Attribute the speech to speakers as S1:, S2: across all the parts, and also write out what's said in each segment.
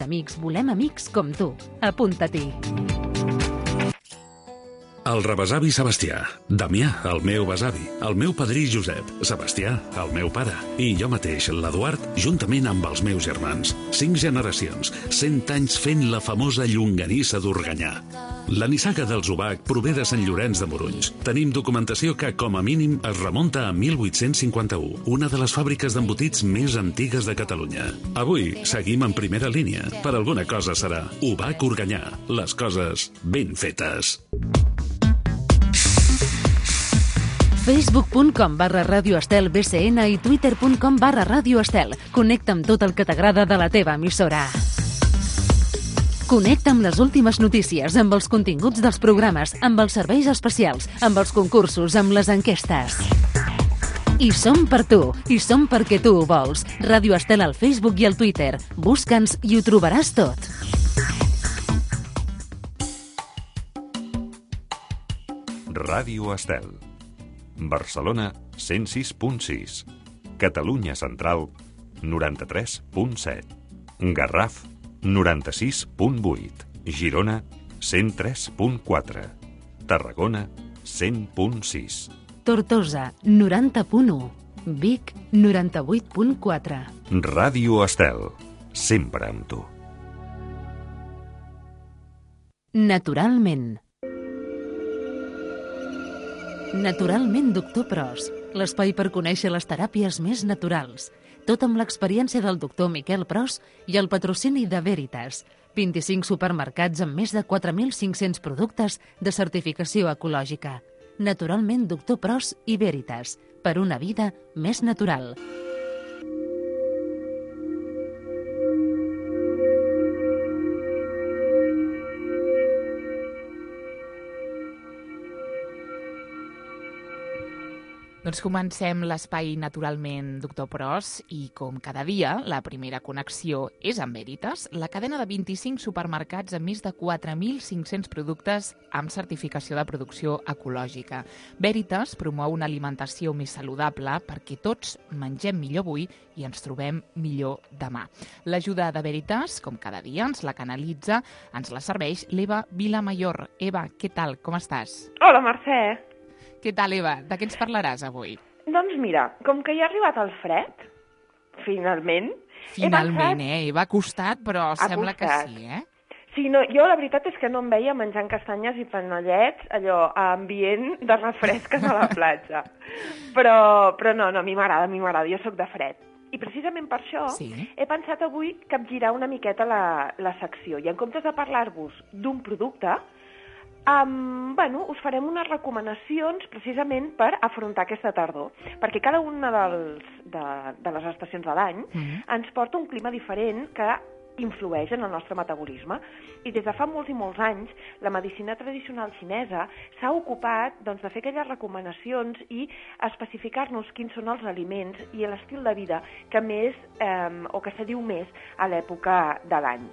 S1: amics volem amics com tu. Apunta-t'hi.
S2: El rebesavi Sebastià, Damià, el meu besavi, el meu padrí Josep, Sebastià, el meu pare, i jo mateix, l'Eduard, juntament amb els meus germans. 5 generacions, 100 anys fent la famosa llonganissa d'Organyà. La nissaga del Zubac prové de Sant Llorenç de Morunys. Tenim documentació que, com a mínim, es remunta a 1851, una de les fàbriques d'embotits més antigues de Catalunya. Avui seguim en primera línia. Per alguna cosa serà Ubac Organyà. Les coses ben fetes.
S1: Facebook.com/Ràdio Estel BCN i Twitter.com/Ràdio Estel. Connecta amb tot el que t'agrada de la teva emissora. Connecta amb les últimes notícies, amb els continguts dels programes, amb els serveis especials, amb els concursos, amb les enquestes. I som per tu, i som perquè tu ho vols. Ràdio Estel al Facebook i al Twitter. Busca'ns i ho trobaràs tot.
S3: Ràdio Estel. Barcelona, 106.6. Catalunya Central, 93.7. Garraf, 96.8. Girona, 103.4. Tarragona, 100.6.
S1: Tortosa, 90.1. Vic, 98.4.
S3: Ràdio Estel, sempre amb tu.
S1: Naturalment. Naturalment, doctor Pros, l'espai per conèixer les teràpies més naturals. Tot amb l'experiència del doctor Miquel Pros i el patrocini de Veritas. 25 supermercats amb més de 4.500 productes de certificació ecològica. Naturalment, doctor Pros i Veritas. Per una vida més natural.
S4: Doncs comencem l'espai naturalment, doctor Pros, i com cada dia, la primera connexió és amb Veritas, la cadena de 25 supermercats amb més de 4.500 productes amb certificació de producció ecològica. Veritas promou una alimentació més saludable perquè tots mengem millor avui i ens trobem millor demà. L'ajuda de Veritas, com cada dia, ens la canalitza, ens la serveix l'Eva Vilamayor. Eva, què tal? Com estàs?
S5: Hola, Mercè.
S4: Què tal, Eva? De què ens parlaràs avui?
S5: Doncs mira, com que ja ha arribat el fred, finalment...
S4: Finalment, Eva, ha costat, però sembla que sí,
S5: Sí, no, jo la veritat és que no em veia menjant castanyes i panellets, allò, a ambient de refresques a la platja. Però no, a mi m'agrada, jo sóc de fred. I precisament per això he pensat avui capgirar una miqueta la secció. I en comptes de parlar-vos d'un producte, us farem unes recomanacions precisament per afrontar aquesta tardor, perquè cada una de les estacions de l'any ens porta un clima diferent que influeix en el nostre metabolisme. I des de fa molts i molts anys, la medicina tradicional xinesa s'ha ocupat de fer aquelles recomanacions i especificar-nos quins són els aliments i l'estil de vida que més, o que s'adiu més a l'època de l'any.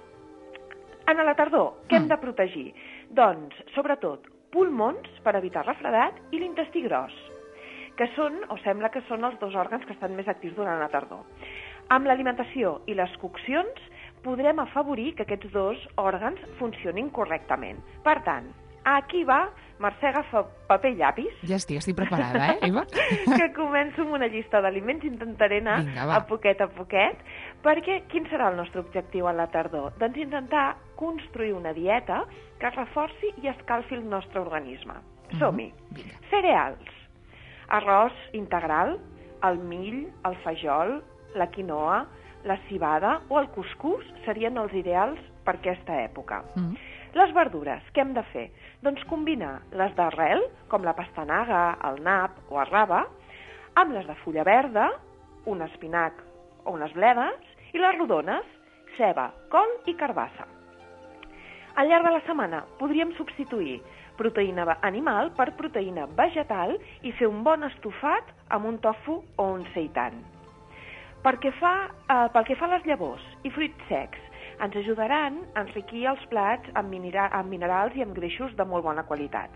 S5: En la tardor, què hem de protegir? Doncs, sobretot, pulmons per evitar refredat i l'intestí gros, que són, o sembla que són els dos òrgans que estan més actius durant la tardor. Amb l'alimentació i les coccions podrem afavorir que aquests dos òrgans funcionin correctament. Per tant, aquí va, Mercè, agafa paper i llapis.
S4: Ja estic preparada, Eva?
S5: Que començo amb una llista d'aliments, intentaré anar a poquet, perquè quin serà el nostre objectiu a la tardor? Doncs intentar construir una dieta que reforci i escalfi el nostre organisme. Som-hi. Cereals, arròs integral, el mill, el fajol, la quinoa, la civada o el cuscús serien els ideals per aquesta època. Les verdures, què hem de fer? Doncs combinar les d'arrel, com la pastanaga, el nap o el rave, amb les de fulla verda, un espinac o unes bledes, i les rodones, ceba, col i carbassa. Al llarg de la setmana podríem substituir proteïna animal per proteïna vegetal i fer un bon estofat amb un tofu o un seitan. Pel que fa a les llavors i fruits secs, ens ajudaran a enriquir els plats amb minerals i amb greixos de molt bona qualitat.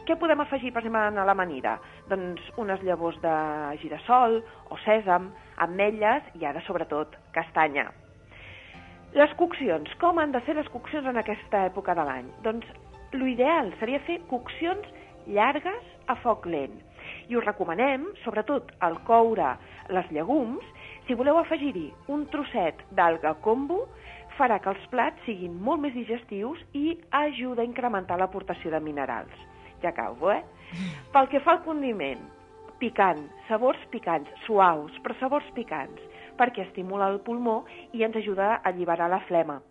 S5: Què podem afegir, per exemple, a l'amanida? Doncs unes llavors de girassol o sèsam, ametlles i ara, sobretot, castanya. Les coccions. Com han de ser les coccions en aquesta època de l'any? Doncs l'ideal seria fer coccions llargues a foc lent. I us recomanem, sobretot al coure les llegums, si voleu afegir-hi un trosset d'alga kombu, farà que els plats siguin molt més digestius i ajuda a incrementar l'aportació de minerals. Ja acabo, Pel que fa al condiment, picant, sabors picants, suaus, però sabors picants, perquè estimula el pulmó i ens ajuda a alliberar la flema.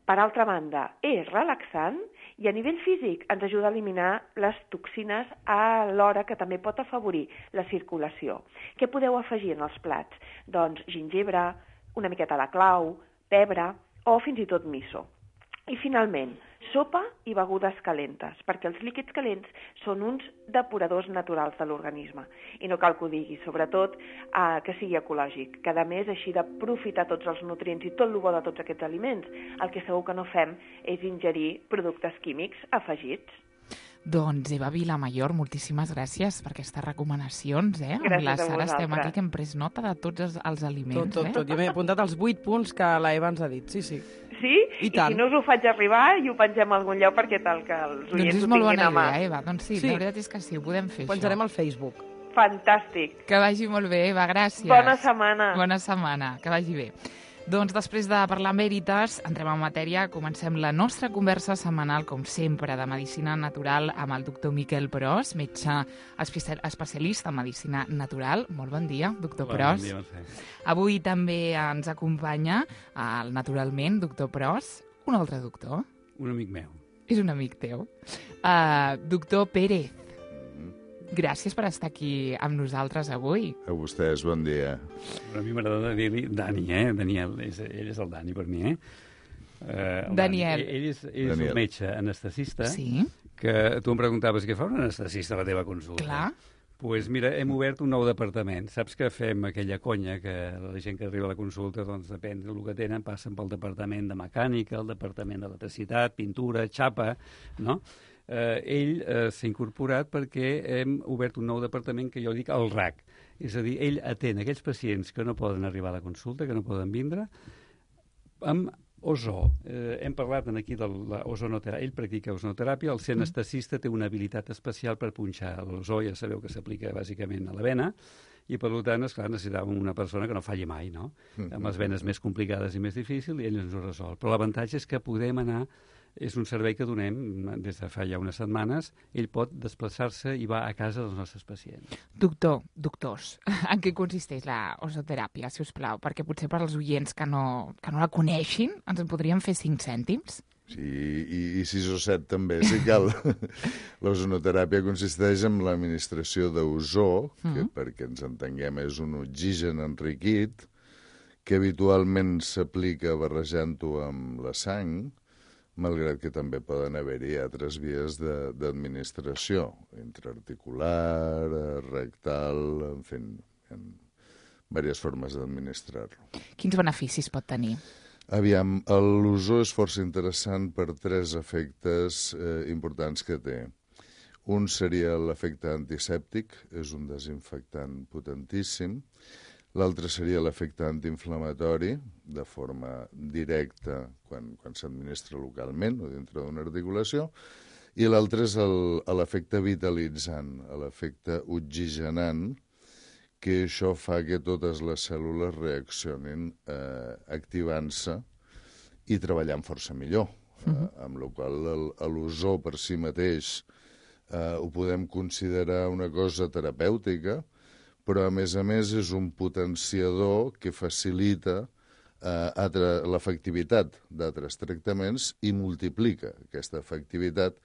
S5: Per altra banda, és relaxant i a nivell físic ens ajuda a eliminar les toxines alhora que també pot afavorir la circulació. Què podeu afegir en els plats? Doncs gingebre, una miqueta de clau, pebre o fins i tot miso. I finalment, sopa i begudes calentes, perquè els líquids calents són uns depuradors naturals de l'organisme. I no cal que ho digui, sobretot que sigui ecològic, que a més així d'aprofitar tots els nutrients i tot el bo de tots aquests aliments, el que segur que no fem és ingerir productes químics afegits.
S4: Doncs Eva Vilamayor, moltíssimes gràcies per aquestes recomanacions.
S5: Gràcies
S4: amb la
S5: a
S4: Sara estem
S5: vosaltres.
S4: aquí que hem pres nota de tots els aliments.
S6: Tot. Jo m'he apuntat els 8 punts que la Eva ens ha dit, sí.
S5: Sí?
S6: I tant.
S5: si no us ho faig arribar i ho pengem a algun lloc perquè tal que els
S4: Doncs
S5: oients
S4: és
S5: ho
S4: molt
S5: tinguin
S4: bona
S5: a mà.
S4: idea, Eva. Doncs sí, la veritat és que sí, ho podem fer,
S6: Penjarem
S4: això.
S6: al Facebook.
S5: Fantàstic.
S4: Que vagi molt bé, Eva, gràcies.
S5: Bona setmana.
S4: Bona setmana, que vagi bé. Doncs després de parlar amb Veritas, entrem en matèria, comencem la nostra conversa setmanal, com sempre, de Medicina Natural amb el doctor Miquel Pros, metge especialista en Medicina Natural. Molt bon dia, doctor Pros.
S7: Bon dia, Mercè.
S4: Avui també ens acompanya, naturalment, doctor Pros, un altre doctor.
S7: Un amic meu.
S4: És un amic teu. Doctor Pérez, gràcies per estar aquí amb nosaltres avui.
S8: A vostès, bon dia.
S7: A mi m'agrada dir-li Dani, Daniel, ell és el Dani per mi, el
S4: Daniel.
S7: Ell és
S8: Daniel.
S7: un metge anestesista,
S4: Sí,
S7: que tu em preguntaves què fa un anestesista a la teva consulta.
S4: clar.
S7: Doncs mira, hem obert un nou departament. Saps que fem aquella conya que la gent que arriba a la consulta, doncs depèn del que tenen, passen pel departament de mecànica, el departament d'electricitat, pintura, xapa, no? Ell s'ha incorporat perquè hem obert un nou departament que jo dic el RAC. És a dir, ell atén aquells pacients que no poden arribar a la consulta, que no poden vindre, amb ozó. Hem parlat aquí de l'ozonoteràpia. Ell practica ozonoteràpia. El ser anestesista té una habilitat especial per punxar l'ozó. Ja sabeu que s'aplica bàsicament a la vena i, per tant, esclar, necessitàvem una persona que no falli mai, no? Amb les venes més complicades i més difícils, i ell ens ho resol. Però l'avantatge és que podem anar. És un servei que donem des de fa ja unes setmanes. Ell pot desplaçar-se i va a casa dels nostres pacients.
S4: Doctors, en què consisteix la ozoteràpia, si us plau? Perquè potser per als oients que no la coneixin, ens en podrien fer 5 cèntims?
S8: Sí, i 6 o 7 també, si cal. L'ozonoteràpia consisteix en l'administració d'ozó, que perquè ens entenguem és un oxigen enriquit, que habitualment s'aplica barrejant-ho amb la sang, malgrat que també poden haver-hi altres vies d'administració, intraarticular, rectal, en fi, en diverses formes d'administrar-lo.
S4: Quins beneficis pot tenir?
S8: Aviam, l'ozó és força interessant per 3 efectes importants que té. Un seria l'efecte antisèptic, és un desinfectant potentíssim. L'altre seria l'efecte antiinflamatori, de forma directa quan s'administra localment o dintre d'una articulació, i l'altre és l'efecte vitalitzant, l'efecte oxigenant, que això fa que totes les cèl·lules reaccionin activant-se i treballant força millor, amb la qual l'ozó per si mateix ho podem considerar una cosa terapèutica, però a més és un potenciador que facilita l'efectivitat d'altres tractaments i multiplica aquesta efectivitat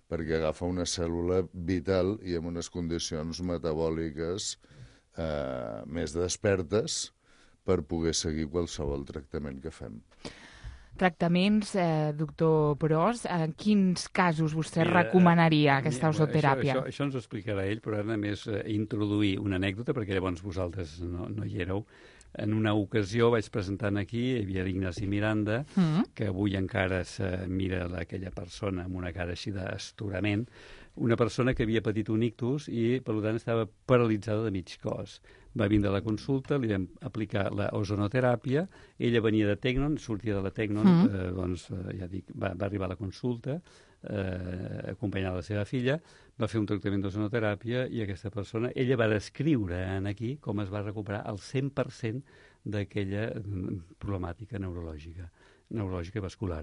S8: perquè agafa una cèl·lula vital i amb unes condicions metabòliques més despertes per poder seguir qualsevol tractament que fem.
S4: Tractaments, doctor Pros, en quins casos vostè recomanaria aquesta ozoteràpia?
S7: Això ens ho explicarà ell, però ara només introduir una anècdota, perquè llavors vosaltres no hi éreu. En una ocasió vaig presentar aquí, hi havia l'Ignasi Miranda, que avui encara se mira aquella persona amb una cara així d'astorament, una persona que havia patit un ictus i, per tant, estava paralitzada de mig cos. Va vindre a la consulta, li vam aplicar l'ozonoteràpia, ella venia de Tecnon, sortia de la Tecnon, doncs, ja dic, va arribar a la consulta, acompanyada de la seva filla, va fer un tractament d'ozonoteràpia i aquesta persona, ella va descriure aquí com es va recuperar el 100% d'aquella problemàtica neurològica i vascular.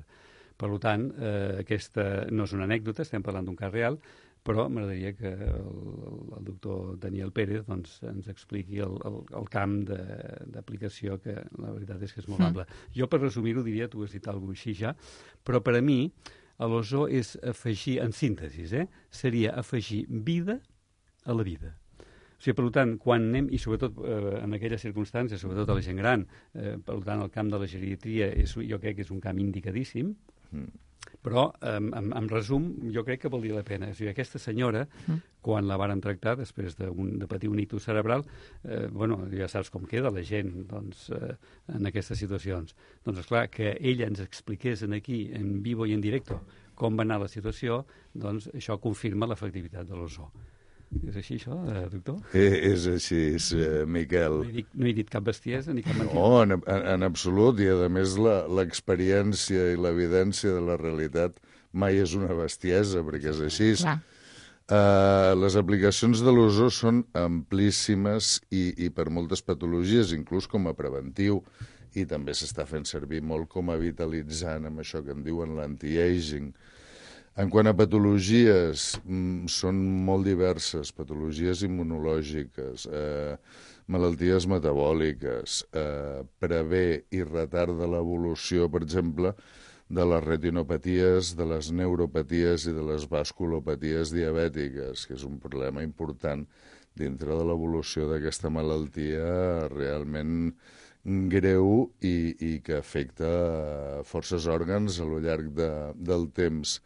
S7: Per tant, aquesta no és una anècdota, estem parlant d'un cas real, però m'agradaria que el doctor Daniel Pérez doncs, ens expliqui el camp d'aplicació, que la veritat és que és molt ample. Jo, per resumir-ho, diria, tu has dit alguna cosa així ja, però per a mi l'ozó és afegir, en síntesi, seria afegir vida a la vida. O sigui, per tant, quan anem, i sobretot en aquelles circumstàncies, sobretot a la gent gran, per tant, el camp de la geriatria jo crec que és un camp indicadíssim, però, en resum, jo crec que valdria la pena. O sigui, aquesta senyora, quan la varen tractar, després de patir un ictus cerebral, ja saps com queda la gent en aquestes situacions. Doncs, esclar, que ella ens expliqués aquí, en vivo i en directe, com va anar la situació, doncs això confirma l'efectivitat de l'ozó. És així, això, doctor?
S8: És així, Miquel.
S7: No he dit cap bestiesa ni cap mentida.
S8: No, en absolut, i a més l'experiència i l'evidència de la realitat mai és una bestiesa, perquè és així. Les aplicacions de l'ozó són amplíssimes i per moltes patologies, inclús com a preventiu, i també s'està fent servir molt com a vitalitzant amb això que en diuen l'anti-aging. En quant a patologies, són molt diverses, patologies immunològiques, malalties metabòliques, prevé i retarda l'evolució, per exemple, de les retinopaties, de les neuropaties i de les vasculopaties diabètiques, que és un problema important dintre de l'evolució d'aquesta malaltia realment greu i que afecta forces òrgans a lo llarg del temps.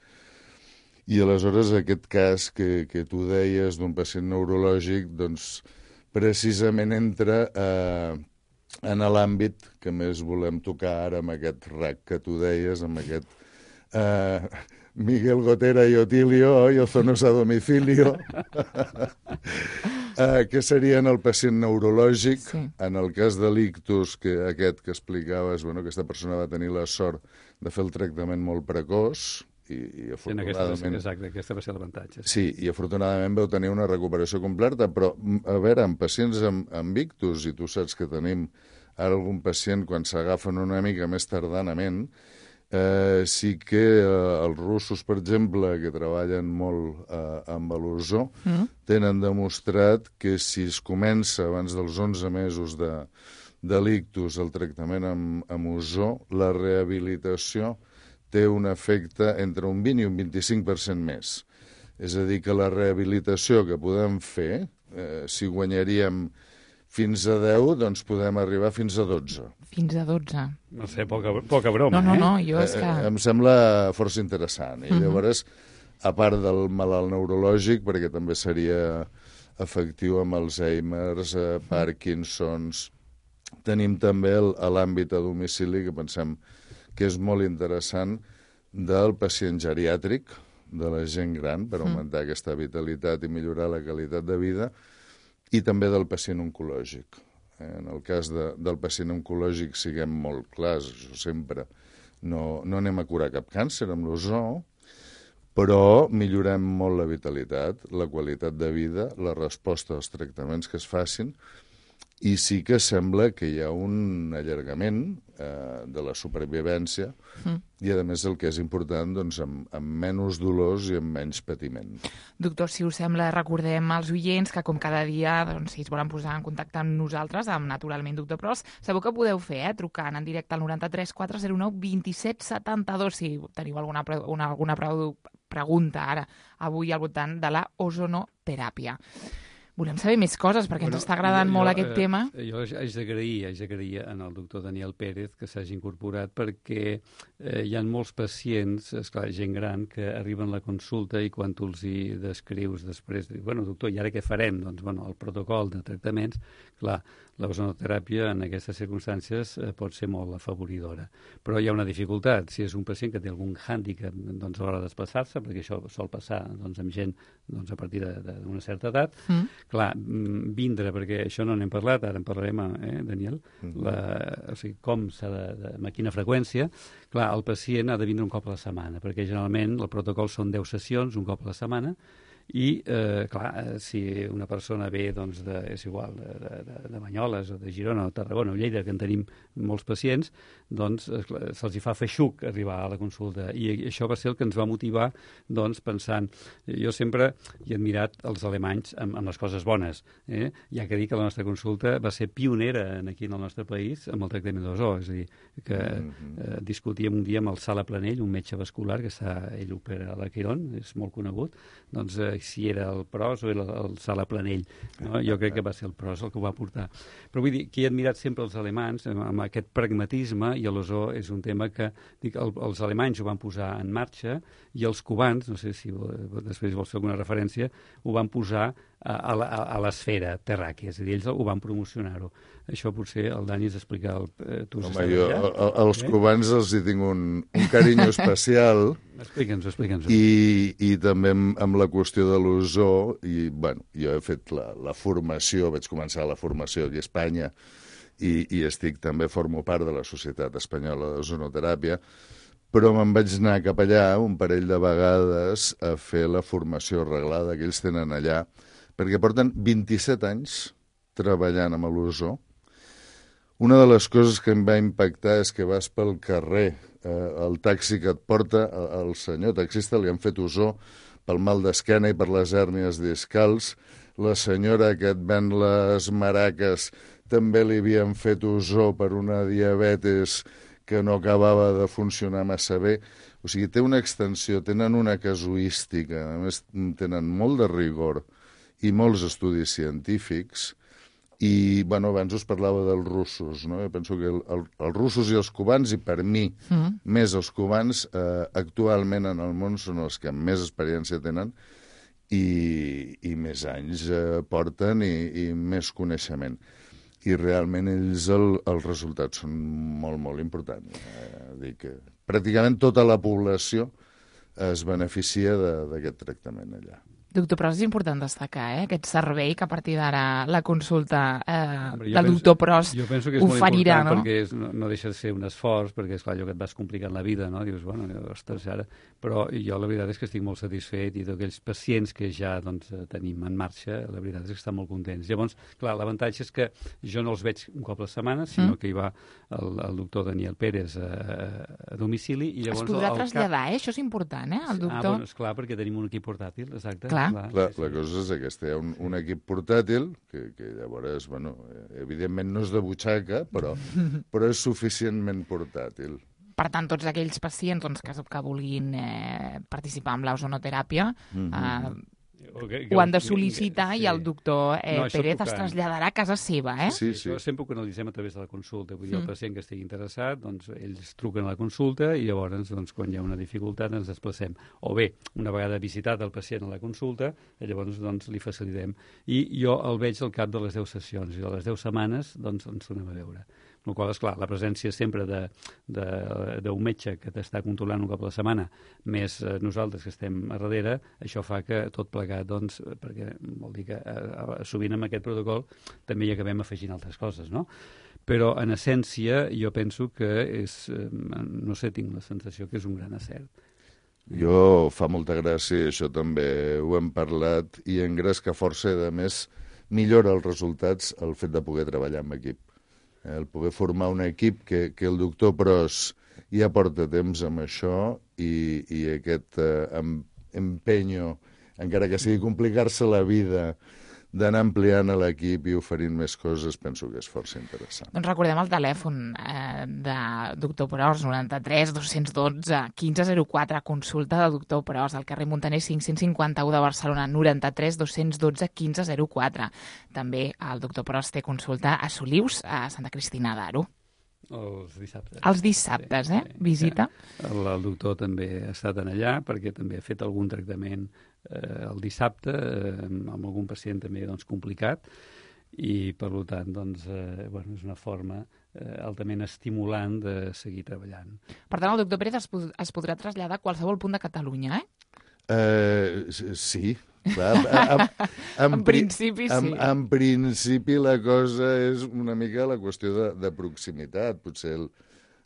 S8: I aleshores aquest cas que tu deies d'un pacient neurològic, doncs precisament entra en l'àmbit que més volem tocar ara amb aquest RAC que tu deies, amb aquest Miguel Gotera y Otilio, ozonos a domicilio, que serien el pacient neurològic. Sí. En el cas de l'ictus, aquest que explicaves, aquesta persona va tenir la sort de fer el tractament molt precoç, i afortunadament...
S7: Exacte, aquesta va ser l'avantatge.
S8: Sí, i afortunadament vau tenir una recuperació completa, però, a veure, en pacients amb ictus, i tu saps que tenim ara algun pacient quan s'agafen una mica més tardanament, sí que els russos, per exemple, que treballen molt amb l'ozó, tenen demostrat que si es comença abans dels 11 mesos de l'ictus el tractament amb ozó, la rehabilitació té un efecte entre un 20 i un 25% més. És a dir, que la rehabilitació que podem fer, si guanyaríem fins a 10, doncs podem arribar fins a 12.
S4: Fins a 12.
S7: No sé, poca broma,
S4: No, jo és que...
S8: Em sembla força interessant. I llavors, a part del malalt neurològic, perquè també seria efectiu amb Alzheimer's, Parkinson's, tenim també l'àmbit a domicili que pensem que és molt interessant del pacient geriàtric, de la gent gran, per augmentar aquesta vitalitat i millorar la qualitat de vida, i també del pacient oncològic. En el cas del pacient oncològic siguem molt clars, sempre no anem a curar cap càncer amb l'ozó, però millorem molt la vitalitat, la qualitat de vida, la resposta als tractaments que es facin, i sí que sembla que hi ha un allargament de la supervivència i, a més, el que és important, doncs, amb menys dolors i amb menys patiment.
S4: Doctor, si us sembla, recordem als oients que, com cada dia, doncs, si es volen posar en contacte amb nosaltres, amb Naturalment Doctor Pros, sabeu que podeu fer, trucant en directe al 93 409 27 72, si teniu alguna pregunta ara, avui al voltant de la ozonoteràpia. Volem saber més coses, perquè ens està agradant molt aquest tema.
S7: Jo haig d'agrair al doctor Daniel Pérez que s'hagi incorporat, perquè hi ha molts pacients, esclar, gent gran, que arriben a la consulta i quan tu els hi descrius després, dius, bueno, doctor, i ara què farem? Doncs, bueno, el protocol de tractaments, clar, l'ozonoteràpia en aquestes circumstàncies pot ser molt afavoridora. Però hi ha una dificultat. Si és un pacient que té algun hàndicap doncs, a l'hora de desplaçar-se, perquè això sol passar doncs, amb gent doncs, a partir d'una certa edat, clar, vindre, perquè això no n'hem parlat, ara en parlarem, Daniel, o sigui, com s'ha amb quina freqüència, clar, el pacient ha de vindre un cop a la setmana, perquè generalment el protocol són 10 sessions, un cop a la setmana, i, clar, si una persona ve, doncs, és igual, de Banyoles o de Girona o Tarragona o Lleida, que en tenim molts pacients, doncs se'ls hi fa feixuc arribar a la consulta. I això va ser el que ens va motivar, doncs, pensant... Jo sempre he admirat els alemanys amb les coses bones. Ja que dir que la nostra consulta va ser pionera aquí en el nostre país amb el tractament d'ozó. És a dir, que discutíem un dia amb el Sala Planell, un metge vascular, que ell opera a la Quirón, és molt conegut, doncs si era el Pros o era el Sala Planell. No? Jo crec que va ser el Pros el que ho va portar. Però vull dir que he admirat sempre els alemanys amb aquest pragmatisme, i l'ozó és un tema que els alemanys ho van posar en marxa i els cubans, no sé si després vols fer alguna referència, ho van posar a l'esfera terràquea, és a dir, ells ho van promocionar-ho. Això potser el Dani ens explica.
S8: Home, els cubans els hi tinc un carinyo especial.
S7: Explica'ns-ho.
S8: I també amb la qüestió de l'ozó, i bueno, jo he fet la formació, vaig començar la formació aquí a Espanya, i també formo part de la Societat Espanyola d'Ozonoteràpia, però me'n vaig anar cap allà un parell de vegades a fer la formació reglada que ells tenen allà, perquè porten 27 anys treballant amb l'ozó. Una de les coses que em va impactar és que vas pel carrer, el taxi que et porta, el senyor taxista li han fet ozó pel mal d'esquena i per les hèrnies discals, la senyora que et ven les maraques també li havien fet ozó per una diabetis que no acabava de funcionar massa bé. O sigui, té una extensió, tenen una casuística, a més tenen molt de rigor i molts estudis científics. I, bueno, abans us parlava dels russos, no? Jo penso que els russos i els cubans, i per mi més els cubans, actualment en el món són els que més experiència tenen i més anys porten i més coneixement. I realment ells els resultats són molt, molt importants. Dic que pràcticament tota la població es beneficia d'aquest tractament allà.
S4: Doctor, però és important destacar aquest servei que a partir d'ara la consulta del doctor Pros oferirà, no?
S7: Jo penso que és molt important perquè no deixa de ser un esforç, perquè és clar, allò que et vas complicant la vida, no? Dius, bueno, ostres, ara... Però jo la veritat és que estic molt satisfet i d'aquells pacients que ja doncs, tenim en marxa, la veritat és que estan molt contents. Llavors, clar, l'avantatge és que jo no els veig un cop a la setmana, sinó que hi va el doctor Daniel Pérez a domicili. I llavors,
S4: es podrà traslladar, això és important, el doctor?
S7: Bueno, esclar, perquè tenim un equip portàtil, exacte.
S4: Clar,
S8: la cosa és aquesta, hi ha un equip portàtil que llavors, bueno, evidentment no és de butxaca, però és suficientment portàtil.
S4: Per tant, tots aquells pacients que vulguin participar en l'ozonoteràpia ho han de sol·licitar i el doctor Pérez es traslladarà a casa seva,
S8: Sí.
S7: Això sempre ho canalitzem a través de la consulta. Vull dir, el pacient que estigui interessat, doncs ells truquen a la consulta i llavors, doncs, quan hi ha una dificultat, ens desplacem. O bé, una vegada visitat el pacient a la consulta, llavors doncs, li facilitem. I jo el veig al cap de les 10 sessions i a les 10 setmanes doncs, ens tornem a veure. Amb la qual cosa, esclar, la presència sempre d'un metge que t'està controlant un cop a la setmana, més nosaltres que estem a darrere, això fa que tot plegat, doncs, perquè vol dir que sovint amb aquest protocol també hi acabem afegint altres coses, no? Però, en essència, jo penso que és, no sé, tinc la sensació que és un gran acert.
S8: Jo fa molta gràcia, això també ho hem parlat, i engresca força, i a més millora els resultats el fet de poder treballar en equip. El poder formar un equip que el doctor Pros ja porta temps amb això i aquest empenyo, encara que sigui complicar-se la vida, d'anar ampliant l'equip i oferint més coses, penso que és força interessant.
S4: Doncs recordem el telèfon de doctor Pros, 93 212 1504, consulta de doctor Pros, al carrer Montaner 551 de Barcelona, 93 212 1504. També el doctor Pros té consulta a Solius, a Santa Cristina d'Aro.
S7: Els dissabtes.
S4: Els dissabtes, visita.
S7: El doctor també ha estat en allà perquè també ha fet algun tractament el dissabte amb algun pacient també complicat i per tant és una forma altament estimulant de seguir treballant.
S4: Per tant, el doctor Pérez es podrà traslladar a qualsevol punt de Catalunya,
S8: Sí, clar.
S4: En principi, sí.
S8: En principi la cosa és una mica la qüestió de proximitat. Potser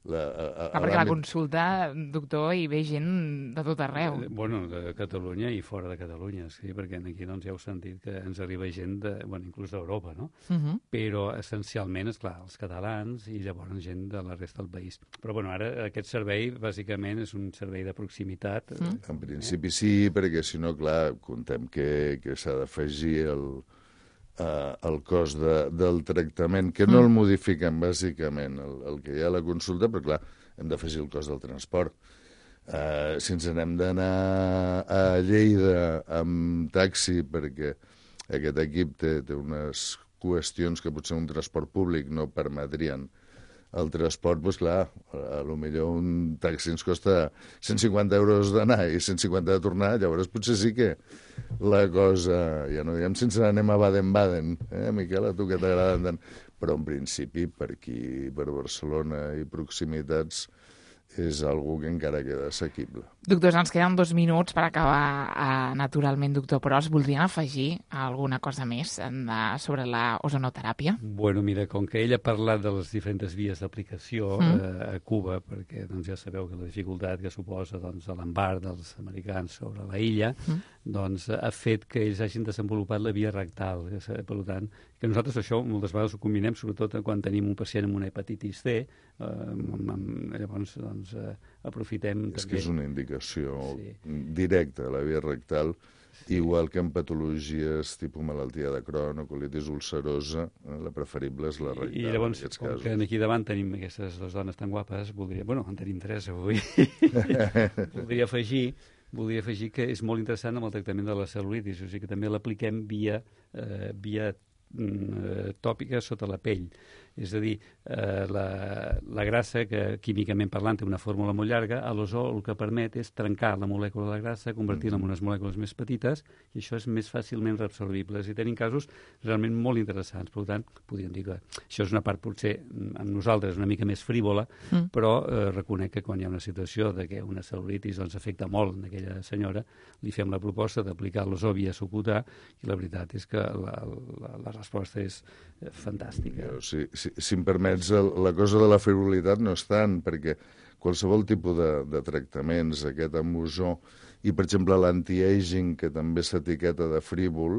S4: perquè la consulta, doctor, hi ve gent de tot arreu.
S7: De Catalunya i fora de Catalunya, sí, perquè aquí ja heu sentit que ens arriba gent inclús d'Europa, no? Però essencialment, esclar, els catalans i llavors gent de la resta del país. Però ara aquest servei bàsicament és un servei de proximitat.
S8: En principi sí, perquè si no, clar, contem que s'ha d'afegir el cost del tractament, que no el modifiquen bàsicament el que hi ha a la consulta, però clar, hem d'afegir el cost del transport. Si ens n'hem d'anar a Lleida amb taxi, perquè aquest equip té unes qüestions que potser un transport públic no permetrien el transport, doncs clar, potser un taxi ens costa 150 euros d'anar i 150 de tornar, llavors potser sí que la cosa, ja no diguem si ens n'anem a Baden-Baden, Miquel, a tu que t'agraden tant, però en principi per aquí, per Barcelona i proximitats, és algo que encara queda assequible.
S4: Doctors, ens queden 2 minuts per acabar naturalment, doctor, però us voldrien afegir alguna cosa més sobre la ozonoteràpia?
S7: Mira, com que ell ha parlat de les diferents vies d'aplicació a Cuba, perquè ja sabeu que la dificultat que suposa l'embarc dels americans sobre la illa, ha fet que ells hagin desenvolupat la via rectal. Per tant, que nosaltres això moltes vegades ho combinem, sobretot quan tenim un pacient amb una hepatitis C, llavors aprofitem
S8: és que és una indicació directa a la via rectal, igual que en patologies tipus malaltia de Crohn o colitis ulcerosa, la preferible és la rectal.
S7: I llavors, com que aquí davant tenim aquestes 2 dones tan guapes, en tenim 3 avui, voldria afegir que és molt interessant amb el tractament de la cel·lulitis, o sigui que també l'apliquem via tòpica sota la pell. És a dir, la grassa, que químicament parlant té una fórmula molt llarga, a l'ozó el que permet és trencar la molècula de la grassa, convertir-la en unes molècules més petites, i això és més fàcilment reabsorbible. I tenim casos realment molt interessants. Per tant, podríem dir que això és una part, potser, amb nosaltres una mica més frívola, però reconec que quan hi ha una situació de que una cel·lulitis afecta molt en aquella senyora, li fem la proposta d'aplicar l'ozó via subcutà, i la veritat és que la resposta és fantàstica.
S8: Si em permets, la cosa de la frivolitat no és tant, perquè qualsevol tipus de tractaments, aquest amb ozó, i per exemple l'anti-aging, que també s'etiqueta de frívol,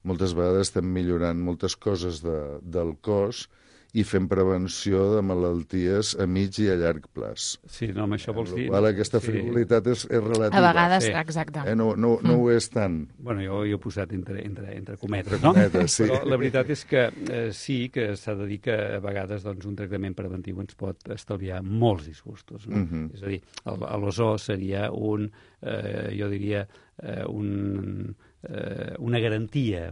S8: moltes vegades estem millorant moltes coses del cos i fent prevenció de malalties a mig i a llarg plaç.
S7: Sí, no, amb això vols dir...
S8: Aquesta frivolitat és relativa.
S4: A vegades, exacte.
S8: No ho és tant.
S7: Jo he posat entre cometes, no? Sí. Però la veritat és que sí que s'ha de dir que a vegades un tractament preventiu ens pot estalviar molts disgustos. No? És a dir, l'ozó seria jo diria, una garantia.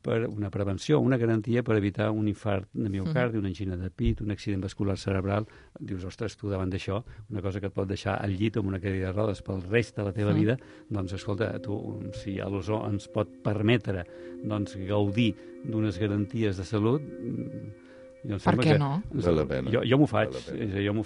S7: Per una prevenció, una garantia per evitar un infart de miocardi, una angina de pit, un accident vascular cerebral. Dius, ostres, tu davant d'això, una cosa que et pot deixar al llit amb una cadira de rodes pel rest de la teva vida, doncs escolta, tu, si l'ozó ens pot permetre gaudir d'unes garanties de salut,
S4: per què no?
S8: Val la pena.
S7: Jo m'ho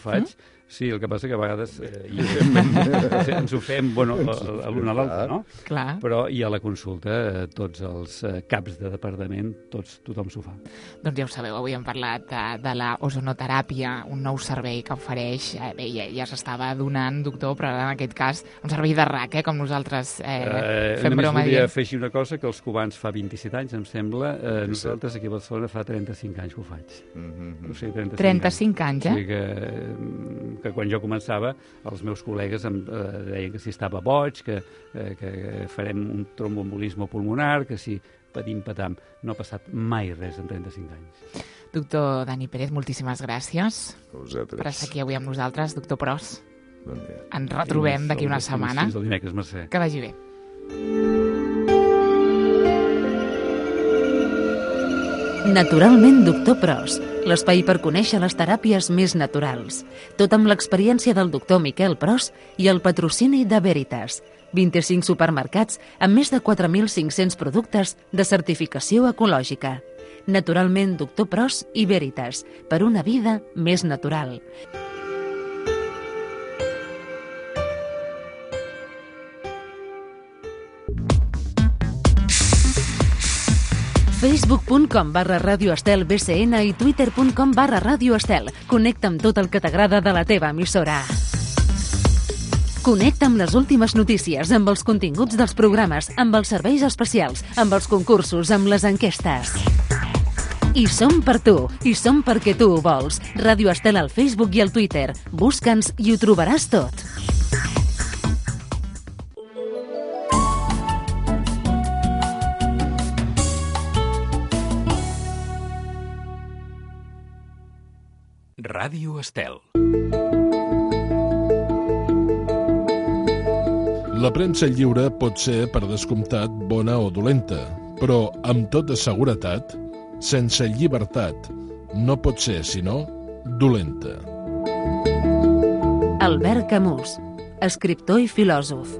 S7: faig. Sí, el que passa que a vegades ens ho fem l'un a l'altre, no?
S4: Clar.
S7: Però i a la consulta tots els caps de departament, tothom s'ho fa.
S4: Doncs ja ho sabeu, avui hem parlat de la ozonoteràpia, un nou servei que ofereix, ja s'estava donant, doctor, però en aquest cas un servei de RAC, com nosaltres fem broma.
S7: Només volia afegir una cosa, que els cubans fa 27 anys, em sembla, nosaltres aquí a Barcelona fa 35 anys que ho faig. O sigui,
S4: 35 anys,
S7: eh? O sigui que quan jo començava, els meus col·legues em deien que si estava boig, que farem un tromboembolisme pulmonar, que si patim-patam. No ha passat mai res en 35 anys.
S4: Doctor Dani Pérez, moltíssimes gràcies
S8: per
S4: estar aquí avui amb nosaltres. Doctor Pros,
S8: bon dia.
S4: Ens retrobem d'aquí una setmana.
S7: Fins el dimecres, Mercè.
S4: Que vagi bé.
S1: Naturalment Doctor Pros, l'espai per conèixer les teràpies més naturals. Tot amb l'experiència del doctor Miquel Pros i el patrocini de Veritas. 25 supermercats amb més de 4.500 productes de certificació ecològica. Naturalment Doctor Pros i Veritas, per una vida més natural. Facebook.com/Ràdio Estel BCN i Twitter.com/Ràdio Estel. Connecta amb tot el que t'agrada de la teva emissora. Connecta amb les últimes notícies, amb els continguts dels programes, amb els serveis especials, amb els concursos, amb les enquestes. I som per tu, i som perquè tu ho vols. Ràdio Estel al Facebook i al Twitter. Busca'ns i ho trobaràs tot.
S9: Ràdio Estel.
S10: La premsa lliure pot ser, per descomptat, bona o dolenta, però, amb tota seguretat, sense llibertat, no pot ser, sinó, dolenta.
S1: Albert Camus, escriptor i filòsof.